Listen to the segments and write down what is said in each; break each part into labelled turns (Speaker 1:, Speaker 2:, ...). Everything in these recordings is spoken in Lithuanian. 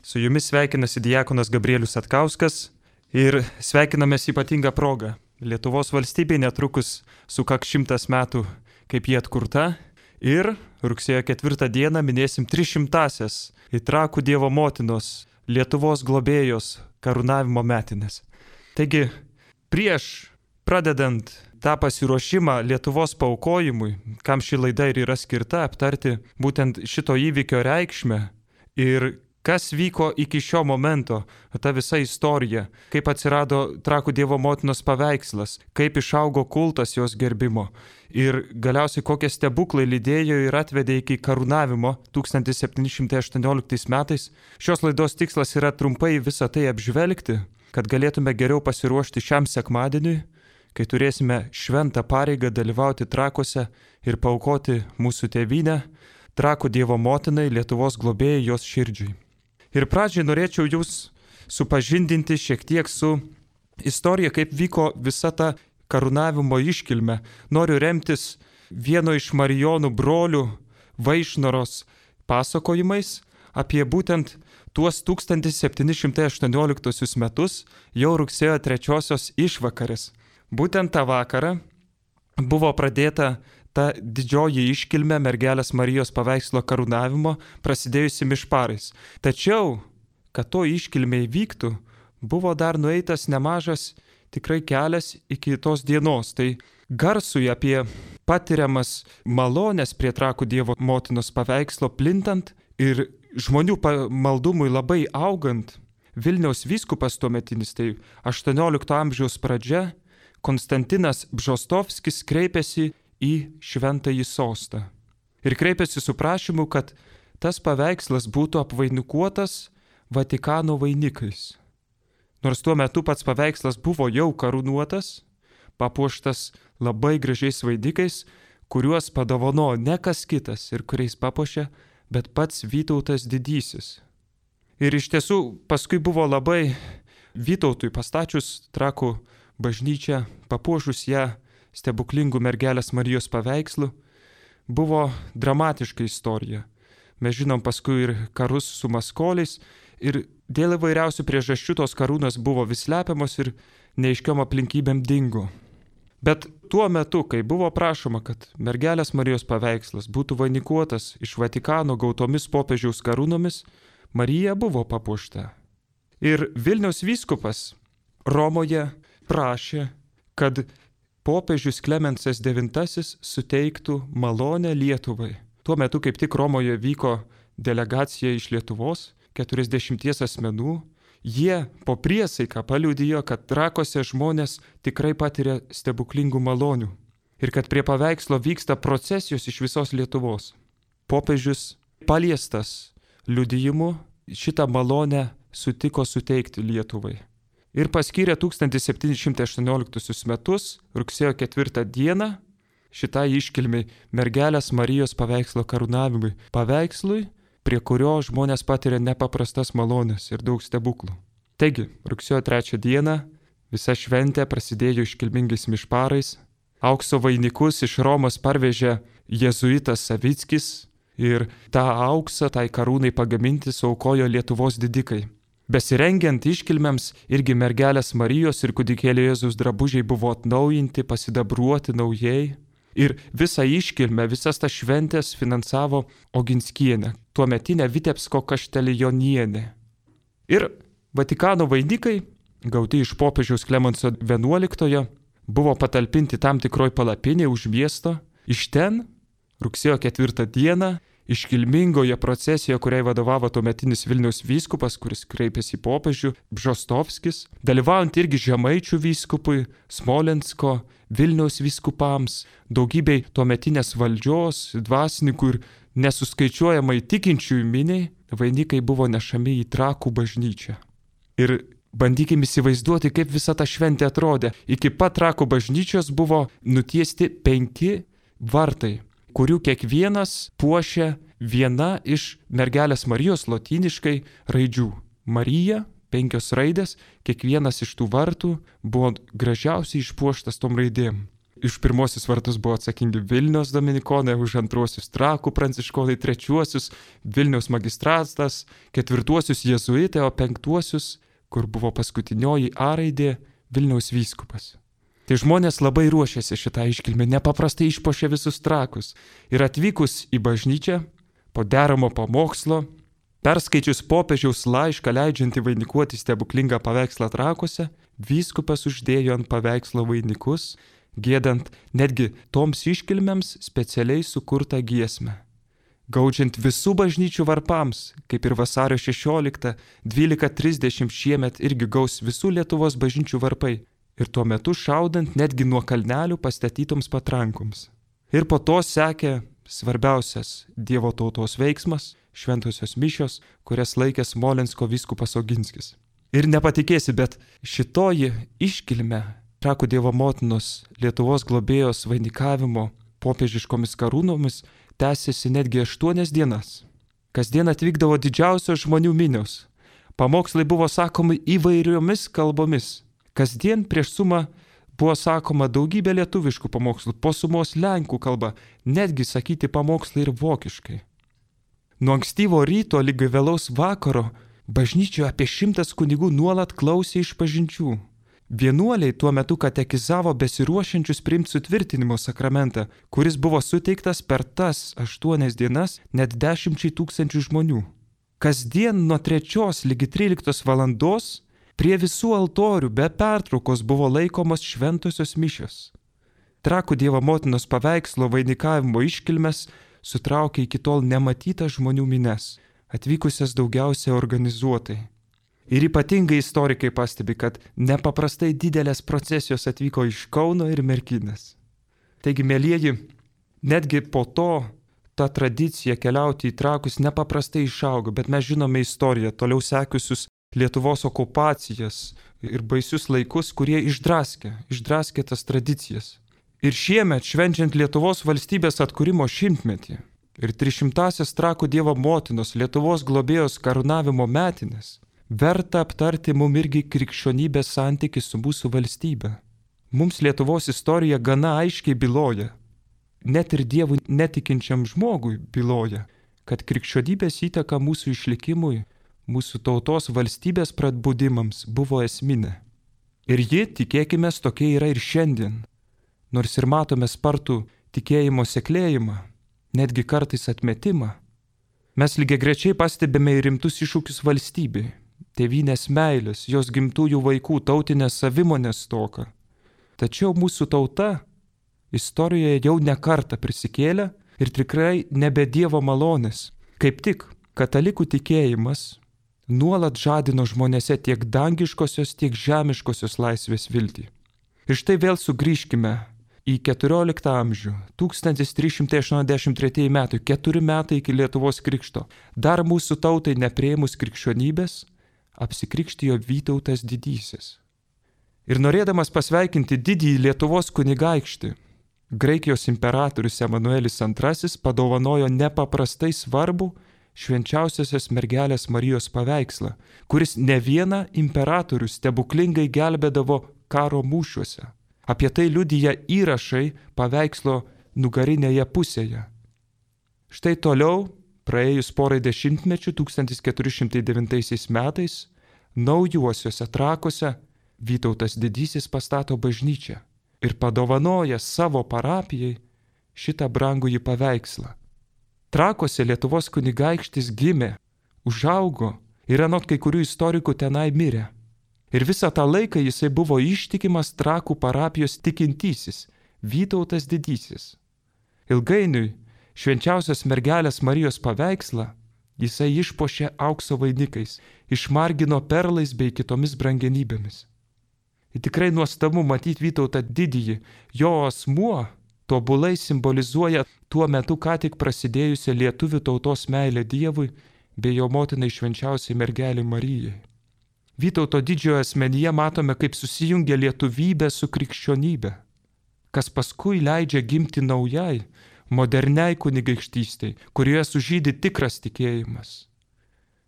Speaker 1: Su jumis sveikinasi diakonas Gabrielius Satkauskas ir sveikinamės ypatingą progą. Lietuvos valstybė netrukus sukaks 100 metų, kaip ji atkurta, ir rugsėjo 4 dieną minėsim 300-asias Trakų Dievo motinos, Lietuvos globėjos karūnavimo metinės. Taigi, prieš pradedant tą pasiruošimą Lietuvos paaukojimui, kam ši laida ir yra skirta aptarti būtent šito įvykio reikšmę ir kas vyko iki šio momento, ta visa istorija, kaip atsirado Trakų Dievo motinos paveikslas, kaip išaugo kultas jos gerbimo ir galiausiai kokie stebuklai lydėjo ir atvedė iki karūnavimo 1718 metais. Šios laidos tikslas yra trumpai visą tai apžvelgti, kad galėtume geriau pasiruošti šiam sekmadieniui, kai turėsime šventą pareigą dalyvauti Trakuose ir paaukoti mūsų tėvynę, Trakų Dievo motinai, Lietuvos globėjai jos širdžiai. Ir pradžiai norėčiau jūs supažindinti šiek tiek su istorija, kaip vyko visa ta karūnavimo iškilmė. Noriu remtis vieno iš Marijonų brolių Vaišnoros pasakojimais apie būtent tuos 1718 metus, jau rugsėjo 3 išvakarės. Būtent tą vakarą buvo pradėta ta didžioji iškilmė mergelės Marijos paveikslo karūnavimo, prasidėjusi mišparais. Tačiau, kad to iškilmė įvyktų, buvo dar nueitas nemažas tikrai kelias iki tos dienos. Tai garsui apie patiriamas malonės prie Trakų Dievo motinos paveikslo plintant ir žmonių maldumui labai augant, Vilniaus vyskupas tuometinis, tai 18 amžiaus pradžia, Konstantinas Bžostovskis kreipėsi į šventąjį sostą. Ir kreipėsi su prašymu, kad tas paveikslas būtų apvainikuotas Vatikano vainikais. Nors tuo metu pats paveikslas buvo jau karūnuotas, papuoštas labai gražiais vainikais, kuriuos padovanojo ne kas kitas ir kuriais papuošė, bet pats Vytautas didysis. Ir iš tiesų paskui buvo labai Vytautui pastačius Trakų bažnyčią, papuošus ją stebuklingų mergelės Marijos paveikslų, buvo dramatiška istorija. Mes žinom paskui ir karus su maskoliais ir dėl įvairiausių priežasčių tos karūnos buvo vis slepiamos ir neaiškiom aplinkybėm dingo. Bet tuo metu, kai buvo prašoma, kad mergelės Marijos paveikslas būtų vainikuotas iš Vatikano gautomis popiežiaus karūnomis, Marija buvo papuošta. Ir Vilniaus vyskupas Romoje prašė, kad popiežius Klemensas IX suteiktų malonę Lietuvai. Tuo metu kaip tik Romoje vyko delegacija iš Lietuvos, 40 asmenų. Jie po priesaiką paliudijo, kad Trakuose žmonės tikrai patiria stebuklingų malonių ir kad prie paveikslo vyksta procesijos iš visos Lietuvos. Popiežius paliestas liudijimu šitą malonę sutiko suteikti Lietuvai. Ir paskyrė 1718 metus, rugsėjo 4 dieną, šitai iškilmiai mergelės Marijos paveikslo karūnavimui, paveikslui, prie kurio žmonės patiria nepaprastas malonės ir daug stebuklų. Taigi, rugsėjo 3 dieną visa šventė prasidėjo iškilmingais mišparais, aukso vainikus iš Romos parvežė jėzuitas Savickis ir tą auksą tai karūnai pagaminti suaukojo Lietuvos didikai. Besirengiant iškilmėms irgi mergelės Marijos ir kūdikėlio Jėzaus drabužiai buvo atnaujinti, pasidabruoti naujai. Ir visą iškilmę, visas tas šventės finansavo Oginskienė, tuometinė Vitebsko kaštelionienė. Ir Vatikano vainikai, gauti iš popiežiaus Klemenso XI, buvo patalpinti tam tikroj palapinėje už miesto. Iš ten, rugsėjo 4 dieną, iškilmingoje procesijoje, kuriai vadovavo tuometinis Vilniaus vyskupas, kuris kreipėsi į popiežių, Bžostovskis, dalyvaujant irgi Žemaičių vyskupui, Smolensko, Vilniaus vyskupams, daugybei tuometinės valdžios, dvasininkų ir nesuskaičiuojamai tikinčiųjų miniai, vainikai buvo nešami į Trakų bažnyčią. Ir bandykime įsivaizduoti, kaip visa ta šventė atrodė. Iki pat Trakų bažnyčios buvo nutiesti 5 vartai, kurių kiekvienas puošia viena iš mergelės Marijos lotyniškai raidžių. Marija, 5 raidės, kiekvienas iš tų vartų buvo gražiausiai išpuoštas tom raidėm. Iš pirmosius vartus buvo atsakingi Vilniaus dominikonai, už antruosius Trakų pranciškonai, trečiuosius Vilniaus magistratas, ketvirtuosius jėzuitai, o penktuosius, kur buvo paskutinioji A raidė, Vilniaus vyskupas. Tai žmonės labai ruošėsi šitą iškilmę, nepaprastai išpuošė visus Trakus. Ir atvykus į bažnyčią, po deramo pamokslo, perskaičius popiežiaus laišką leidžiantį vainikuoti stebuklingą paveikslą Trakuose, vyskupas uždėjo ant paveikslo vainikus, giedant netgi toms iškilmėms specialiai sukurtą giesmę. Gaudžiant visų bažnyčių varpams, kaip ir vasario 16, 12:30 šiemet irgi gaus visų Lietuvos bažnyčių varpai. Ir tuo metu šaudant netgi nuo kalnelių pastatytoms patrankoms. Ir po to sekė svarbiausias Dievo tautos veiksmas – šventosios mišios, kurias laikė Smolensko vyskupas Oginskis. Ir nepatikėsi, bet šitoji iškilmė Trakų Dievo motinos Lietuvos globėjos vainikavimo popiežiškomis karūnomis tęsėsi netgi 8 dienas. Kasdien atvykdavo didžiausios žmonių minios. Pamokslai buvo sakomi įvairiomis kalbomis. Kasdien prieš sumą buvo sakoma daugybė lietuviškų pamokslų, po sumos lenkų kalba, netgi sakyti pamokslai ir vokiškai. Nuo ankstyvo ryto lygi vėlaus vakaro bažnyčioje apie 100 kunigų nuolat klausė išpažinčių. Vienuoliai tuo metu katekizavo besiruošiančius priimti sutvirtinimo sakramentą, kuris buvo suteiktas per tas 8 dienas net 10 000 žmonių. Kasdien nuo 3 lygi 13 valandos prie visų altorių be pertraukos buvo laikomos šventosios mišios. Trakų Dievo motinos paveikslo vainikavimo iškilmes sutraukė iki tol nematytas žmonių mines, atvykusias daugiausiai organizuotai. Ir ypatingai istorikai pastebi, kad nepaprastai didelės procesijos atvyko iš Kauno ir Merkinės. Taigi, mielieji, netgi po to ta tradicija keliauti į Trakus nepaprastai išaugo, bet mes žinome istoriją, toliau sekusius Lietuvos okupacijas ir baisius laikus, kurie išdraskė tas tradicijas. Ir šiemet, švenčiant Lietuvos valstybės atkūrimo 100-metį ir 300-asias Trakų Dievo motinos Lietuvos globėjos karūnavimo metinės, verta aptarti mum irgi krikščionybės santykį su mūsų valstybe. Mums Lietuvos istorija gana aiškiai byloja, net ir Dievui netikinčiam žmogui byloja, kad krikščionybės įtaka mūsų išlikimui, mūsų tautos valstybės pradbudimams buvo esminė. Ir ji, tikėkime, tokia yra ir šiandien. Nors ir matome spartų tikėjimo seklėjimą, netgi kartais atmetimą, mes lygiagrečiai pastebime ir rimtus iššūkius valstybei. Tėvynės meilės, jos gimtųjų vaikų tautinės savimonės stoką. Tačiau mūsų tauta istorijoje jau ne kartą prisikėlė ir tikrai nebe Dievo malonės. Kaip tik katalikų tikėjimas nuolat žadino žmonėse tiek dangiškosios, tiek žemiškosios laisvės viltį. Ir štai vėl sugrįžkime į 14 amžių, 1383 metai, 4 metai iki Lietuvos krikšto. Dar mūsų tautai nepriėmus krikščionybės, apsikrikštijo Vytautas Didysis. Ir norėdamas pasveikinti didįjį Lietuvos kunigaikštį, Graikijos imperatorius Emanuelis II padovanojo nepaprastai svarbų švenčiausiosios mergelės Marijos paveikslą, kuris ne vieną imperatorių stebuklingai gelbėdavo karo mūšiuose. Apie tai liudija įrašai paveikslo nugarinėje pusėje. Štai toliau, praėjus porai dešimtmečių 1409 metais, naujuosiuose Trakuose Vytautas Didysis pastato bažnyčią ir padovanoja savo parapijai šitą brangųjį paveikslą. Trakuose Lietuvos kunigaikštis gimė, užaugo ir anot kai kurių istorikų tenai mirė. Ir visą tą laiką jisai buvo ištikimas Trakų parapijos tikintysis Vytautas Didysis. Ilgainiui švenčiausios mergelės Marijos paveikslą jisai išpuošė aukso vainikais, išmargino perlais bei kitomis brangenybėmis. Ir tikrai nuostabu matyti Vytautą didįjį, jo asmuo tobulai simbolizuoja tuo metu ką tik prasidėjusią lietuvių tautos meilę Dievui bei jo motinai švenčiausiai mergelei Marijai. Vytauto didžiojo asmenyje matome, kaip susijungia lietuvybė su krikščionybė, kas paskui leidžia gimti naujai, moderniai kunigaikštystei, kurioje sužydi tikras tikėjimas.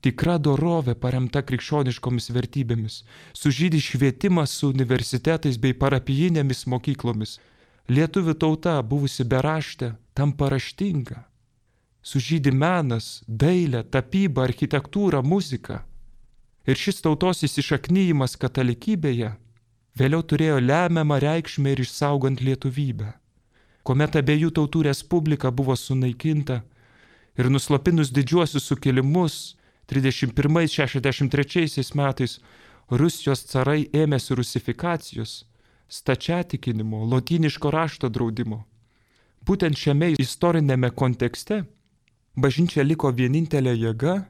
Speaker 1: Tikra dorovė paremta krikščioniškomis vertybėmis, sužydi švietimas su universitetais bei parapijinėmis mokyklomis, Lietuvių tauta, buvusi beraštė, tampa raštinga. Sužydi menas, dailė, tapyba, architektūra, muzika. Ir šis tautos įsišaknyjimas katalikybėje vėliau turėjo lemiamą reikšmę ir išsaugant lietuvybę. Kuomet abiejų tautų respublika buvo sunaikinta ir nuslopinus didžiuosius sukilimus 31-63 metais Rusijos carai ėmėsi rusifikacijos, stačiatikinimo, lotyniško rašto draudimo. Būtent šiame istorinėme kontekste bažnyčia liko vienintelė jėga,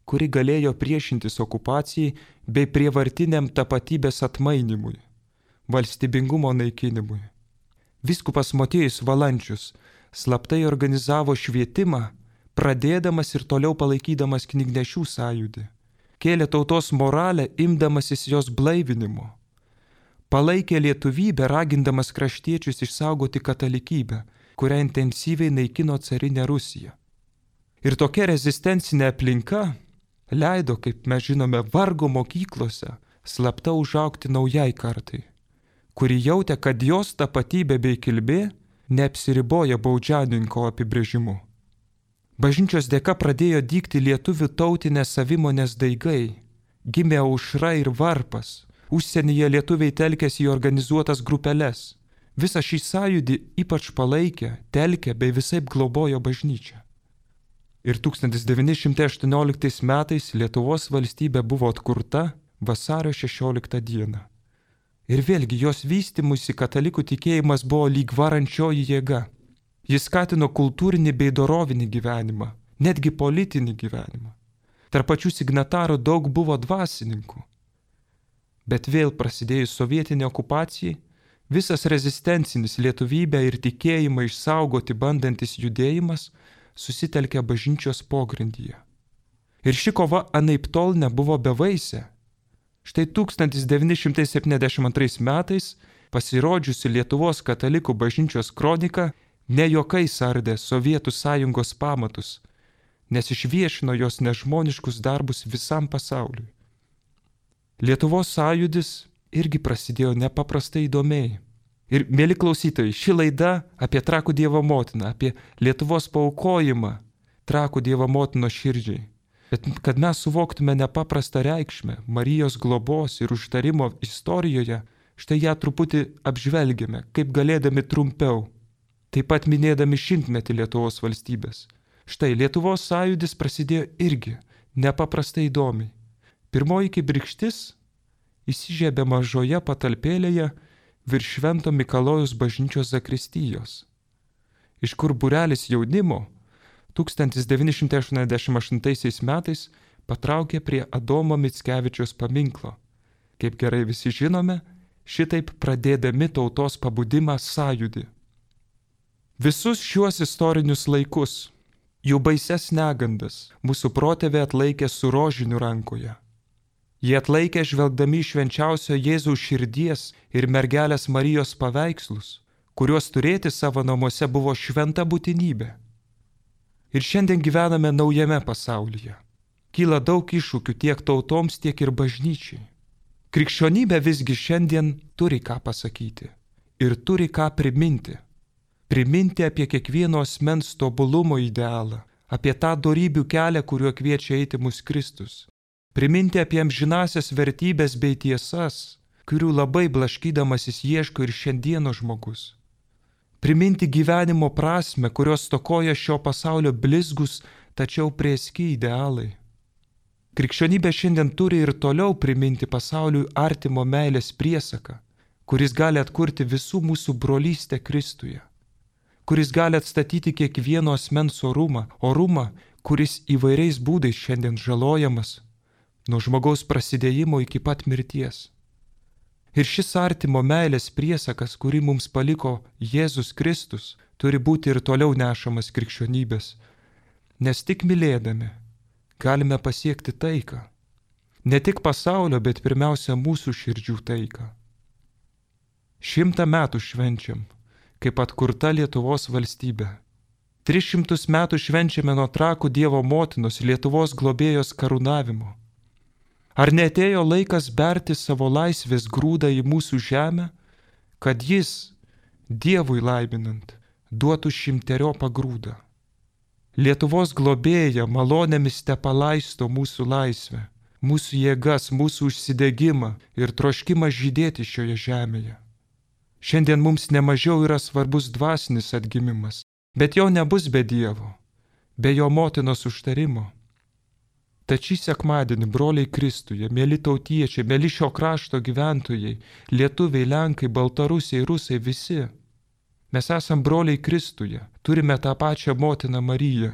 Speaker 1: kuri galėjo priešintis okupacijai bei prievartiniam tapatybės atmainimui, valstybingumo naikinimui. Vyskupas Motiejus Valančius slaptai organizavo švietimą, pradėdamas ir toliau palaikydamas knygnešių sąjūdį. Kėlė tautos moralę, imdamasis jos blaivinimo. Palaikė lietuvybę, ragindamas kraštiečius išsaugoti katalikybę, kurią intensyviai naikino carinė Rusija. Ir tokia rezistencinė aplinka leido, kaip mes žinome, vargo mokyklose slapta užaugti naujai kartai, kuri jautė, kad jos tapatybė bei kilmė neapsiriboja baudžiauninko apibrėžimu. Bažnyčios dėka pradėjo dygti lietuvių tautinės savimonės daigai, gimė aušra ir varpas, užsienyje lietuviai telkėsi į organizuotas grupeles. Visą šį sąjūdį ypač palaikė, telkė bei visaip globojo bažnyčia. Ir 1918 metais Lietuvos valstybė buvo atkurta vasario 16 dieną. Ir vėlgi jos vystymusi katalikų tikėjimas buvo lyg varančioji jėga. Jis skatino kultūrinį bei dorovinį gyvenimą, netgi politinį gyvenimą. Tarp pačių signatarų daug buvo dvasininkų. Bet vėl prasidėjus sovietinė okupacijai, visas rezistencinis lietuvybę ir tikėjimą išsaugoti bandantis judėjimas susitelkė bažnyčios pogrindyje. Ir ši kova anaiptol nebuvo bevaisė. Štai 1972 metais pasirodžiusi Lietuvos katalikų bažnyčios kronika ne juokais ardė Sovietų sąjungos pamatus, nes išviešino jos nežmoniškus darbus visam pasauliui. Lietuvos sąjūdis irgi prasidėjo nepaprastai įdomiai. Ir, mėly klausytojai, ši laida apie Trakų Dievo motiną, apie Lietuvos paaukojimą Trakų Dievo motinos širdžiai. Bet kad mes suvoktume nepaprastą reikšmę Marijos globos ir užtarimo istorijoje, štai ją truputį apžvelgiame, kaip galėdami trumpiau, taip pat minėdami 100-metį Lietuvos valstybės. Štai Lietuvos sąjūdis prasidėjo irgi nepaprastai įdomiai. Pirmoji kibirkštis įsižiebė mažoje patalpėlėje virš Švento Mikalojaus bažnyčios zakristijos, iš kur būrelis jaunimo 1988 metais patraukė prie Adomo Mickevičiaus paminklo. Kaip gerai visi žinome, šitaip pradėdami tautos pabudimą sąjūdį. Visus šiuos istorinius laikus, jų baises negandas, mūsų protėviai atlaikė su rožiniu rankoje. Jie atlaikė žvelgdami švenčiausio Jėzaus širdies ir mergelės Marijos paveikslus, kuriuos turėti savo namuose buvo šventa būtinybė. Ir šiandien gyvename naujame pasaulyje. Kyla daug iššūkių tiek tautoms, tiek ir bažnyčiai. Krikščionybė visgi šiandien turi ką pasakyti ir turi ką priminti. Priminti apie kiekvieno asmens tobulumo idealą, apie tą dorybių kelią, kuriuo kviečia eiti mus Kristus. Priminti apie amžinasias vertybės bei tiesas, kurių labai blaškydamasis ieško ir šiandieno žmogus. Priminti gyvenimo prasmę, kurios stokoja šio pasaulio blizgus, tačiau prėski idealai. Krikščionybė šiandien turi ir toliau priminti pasauliui artimo meilės priesaką, kuris gali atkurti visų mūsų brolystę Kristuje, kuris gali atstatyti kiekvieno asmens orumą, kuris įvairiais būdais šiandien žalojamas, nuo žmogaus prasidėjimo iki pat mirties. Ir šis artimo meilės priesakas, kurį mums paliko Jėzus Kristus, turi būti ir toliau nešamas krikščionybės, nes tik mylėdami galime pasiekti taiką. Ne tik pasaulio, bet pirmiausia mūsų širdžių taiką. 100 metų švenčiam, kaip atkurta Lietuvos valstybė. 300 metų švenčiame nuo Trakų Dievo motinos Lietuvos globėjos karūnavimo. Ar neatėjo laikas berti savo laisvės grūdą į mūsų žemę, kad jis, Dievui laiminant, duotų 100 grūdą. Lietuvos globėja malonėmis te palaisto mūsų laisvę, mūsų jėgas, mūsų užsidegimą ir troškimą žydėti šioje žemėje. Šiandien mums nemažiau yra svarbus dvasinis atgimimas, bet jo nebus be Dievo, be jo motinos užtarimo. Tad šį sekmadienį, broliai Kristuje, mėly tautiečiai, mėly šio krašto gyventojai, lietuviai, lenkai, baltarusiai, rusai, visi, mes esam broliai Kristuje, turime tą pačią motiną Mariją.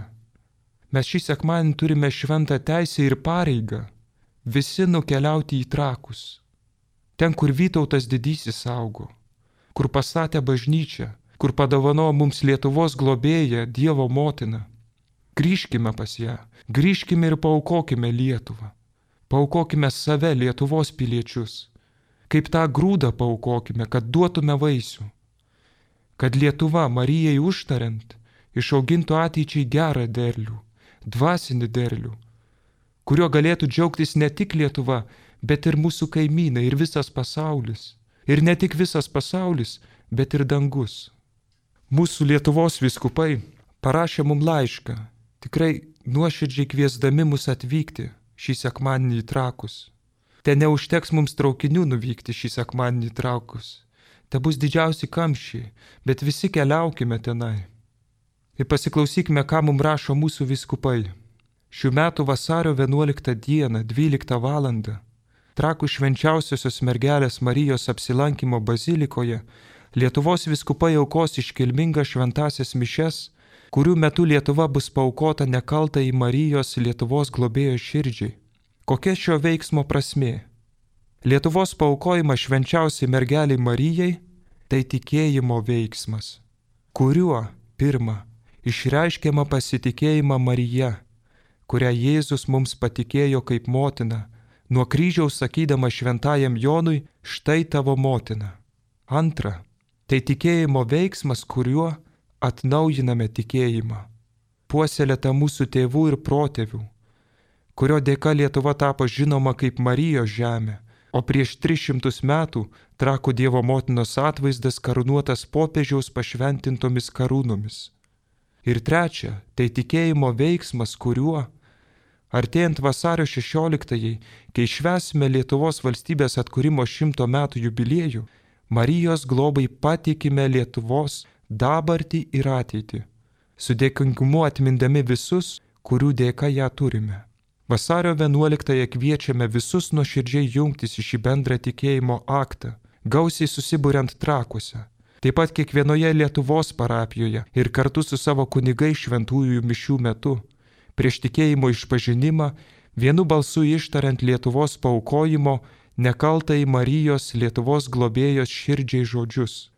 Speaker 1: Mes šį sekmadienį turime šventą teisę ir pareigą visi nukeliauti į Trakus, ten, kur Vytautas didysis augo, kur pastatė bažnyčią, kur padovanojo mums Lietuvos globėją, Dievo motiną. Grįžkime pas ją, grįžkime ir paaukokime Lietuvą. Paaukokime save, Lietuvos piliečius. Kaip tą grūdą paaukokime, kad duotume vaisių. Kad Lietuva Marijai užtariant išaugintų ateičiai gerą derlių, dvasinį derlių, kuriuo galėtų džiaugtis ne tik Lietuva, bet ir mūsų kaimynai ir visas pasaulis. Ir ne tik visas pasaulis, bet ir dangus. Mūsų Lietuvos vyskupai parašė mums laišką, tikrai nuoširdžiai kviesdami mus atvykti šį sekmadienį į Trakus. Te neužteks mums traukinių nuvykti šį sekmadienį į Trakus. Te bus didžiausi kamščiai, bet visi keliaukime tenai. Ir pasiklausykime, ką mums rašo mūsų vyskupai. Šių metų vasario 11 dieną, 12 valandą, Trakų švenčiausiosios mergelės Marijos apsilankymo bazilikoje Lietuvos vyskupai aukos iškilmingas šventąsias mišias, kurių metu Lietuva bus paaukota nekaltai į Marijos Lietuvos globėjo širdžiai. Kokia šio veiksmo prasmė? Lietuvos paaukojimas švenčiausiai mergeliai Marijai – tai tikėjimo veiksmas, kuriuo, pirma, išreiškiama pasitikėjimą Marija, kurią Jėzus mums patikėjo kaip motina, nuo kryžiaus sakydama šventajam Jonui, štai tavo motina. Antra, tai tikėjimo veiksmas, kuriuo atnaujiname tikėjimą, puoselėtą mūsų tėvų ir protėvių, kurio dėka Lietuva tapo žinoma kaip Marijos žemė, o prieš 300 metų Trakų Dievo motinos atvaizdas karūnuotas popiežiaus pašventintomis karūnomis. Ir trečia, tai tikėjimo veiksmas, kuriuo artėjant vasario 16-ąjai, kai švęsime Lietuvos valstybės atkūrimo 100 metų jubiliejų, Marijos globai patikime Lietuvos dabartį ir ateitį, su dėkingumu atmindami visus, kurių dėka ją turime. Vasario 11-ąją kviečiame visus nuoširdžiai jungtis į šį bendrą tikėjimo aktą, gausiai susiburiant Trakuose, taip pat kiekvienoje Lietuvos parapijoje ir kartu su savo kunigais šventųjų mišių metu, prieš tikėjimo išpažinimą, vienu balsu ištariant Lietuvos paaukojimo nekaltai Marijos Lietuvos globėjos širdžiai žodžius.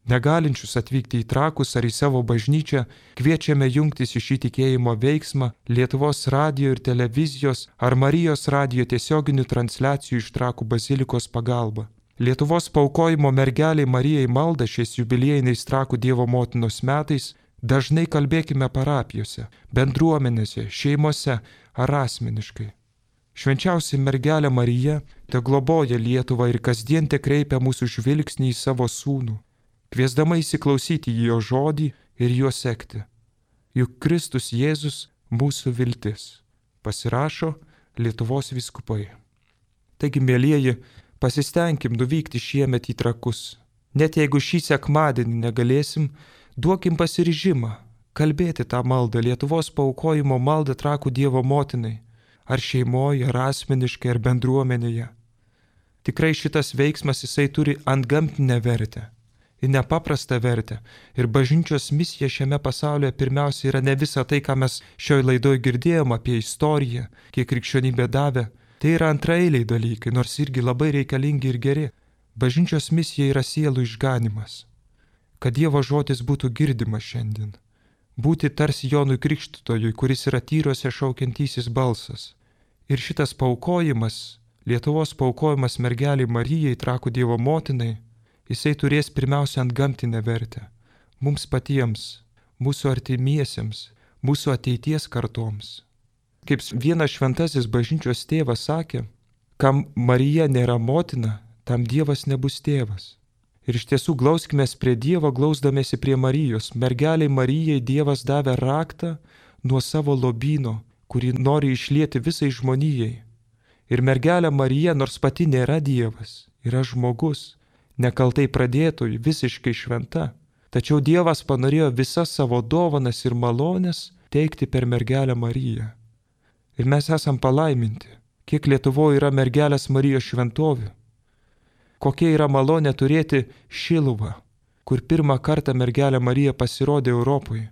Speaker 1: Negalinčius atvykti į Trakus ar į savo bažnyčią, kviečiame jungtis į šį tikėjimo veiksmą Lietuvos radijo ir televizijos ar Marijos radijo tiesioginių transliacijų iš Trakų bazilikos pagalba. Lietuvos paaukojimo mergeliai Marijai maldą šiais jubiliejiniais Trakų Dievo motinos metais dažnai kalbėkime parapijose, bendruomenėse, šeimose ar asmeniškai. Švenčiausia mergelė Marija te globoja Lietuvą ir kasdien te kreipia mūsų žvilgsnį į savo sūnų, kviesdama įsiklausyti į jo žodį ir juo sekti. Juk Kristus Jėzus mūsų viltis, pasirašo Lietuvos vyskupai. Taigi, mielieji, pasistengim nuvykti šiemet į Trakus. Net jeigu šį sekmadienį negalėsim, duokim pasiryžimą kalbėti tą maldą, Lietuvos paaukojimo maldą Trakų Dievo motinai, ar šeimoje, ar asmeniškai, ar bendruomenėje. Tikrai šitas veiksmas jisai turi antgamtinę vertę ir nepaprastą vertę. Ir bažnyčios misija šiame pasaulyje pirmiausia yra ne visa tai, ką mes šioj laidoj girdėjom apie istoriją, kiek krikščionybė davė. Tai yra antraeiliai dalykai, nors irgi labai reikalingi ir geri. Bažnyčios misija yra sielų išganimas. Kad Dievo žodis būtų girdimas šiandien. Būti tarsi Jonui Krikštytojui, kuris yra tyruose šaukiantysis balsas. Ir šitas paaukojimas, Lietuvos paaukojimas mergeliai Marijai, Trakų Dievo motinai, jisai turės pirmiausia antgamtinę vertę. Mums patiems, mūsų artimiesiems, mūsų ateities kartoms. Kaip vienas šventasis bažnyčios tėvas sakė, kam Marija nėra motina, tam Dievas nebus tėvas. Ir iš tiesų glauskimės prie Dievo, glausdamėsi prie Marijos. Mergeliai Marijai Dievas davė raktą nuo savo lobyno, kurį nori išlieti visai žmonijai. Ir mergelė Marija, nors pati nėra Dievas, yra žmogus, nekaltai pradėtojų, visiškai šventa. Tačiau Dievas panorėjo visas savo dovanas ir malonės teikti per mergelę Mariją. Ir mes esam palaiminti, kiek Lietuvoje yra mergelės Marijos šventovių. Kokia yra malonė turėti Šiluvą, kur pirmą kartą mergelė Marija pasirodė Europoje.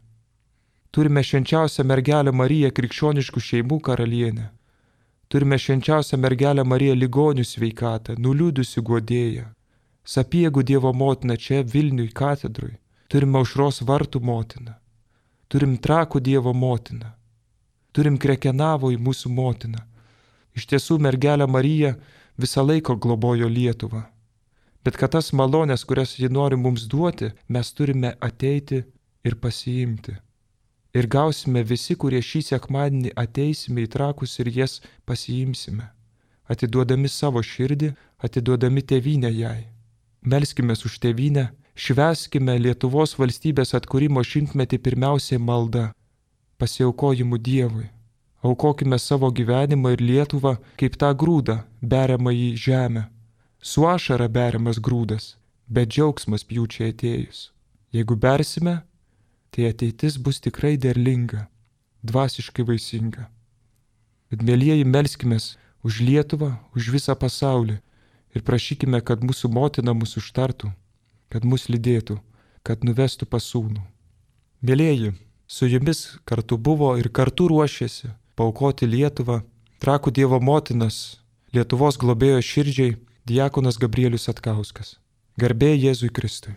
Speaker 1: Turime švenčiausią mergelę Mariją krikščioniškų šeimų karalienę. Turime švenčiausią mergelę Mariją ligonių sveikatą, nuliūdusių guodėją. Sapiegų Dievo motiną čia Vilniui katedrui. Turime Aušros vartų motiną. Turim Trakų Dievo motiną. Turim Krekenavoj mūsų motiną. Iš tiesų mergelė Marija visą laiką globojo Lietuvą. Bet kad tas malonės, kurias ji nori mums duoti, mes turime ateiti ir pasiimti. Ir gausime visi, kurie šį sekmadienį ateisime į Trakus ir jas pasiimsime. Atiduodami savo širdį, atiduodami tėvynę jai. Melskimės už tėvynę, švęskime Lietuvos valstybės atkūrimo 100-metį pirmiausiai malda, pasiaukojimu Dievui. Aukokime savo gyvenimą ir Lietuvą kaip tą grūdą, beriamą į žemę. Su ašara beriamas grūdas, bet džiaugsmas pjūčiai atėjus. Jeigu bersime, tai ateitis bus tikrai derlinga, dvasiškai vaisinga. Bet mielieji, melskimės už Lietuvą, už visą pasaulį ir prašykime, kad mūsų motina mus užtartų, kad mus lydėtų, kad nuvestų pas Sūnų. Mielieji, su jumis kartu buvo ir kartu ruošėsi paaukoti Lietuvą, Trakų Dievo motinas, Lietuvos globėjo širdžiai, diakonas Gabrielius Satkauskas. Garbė Jėzui Kristui.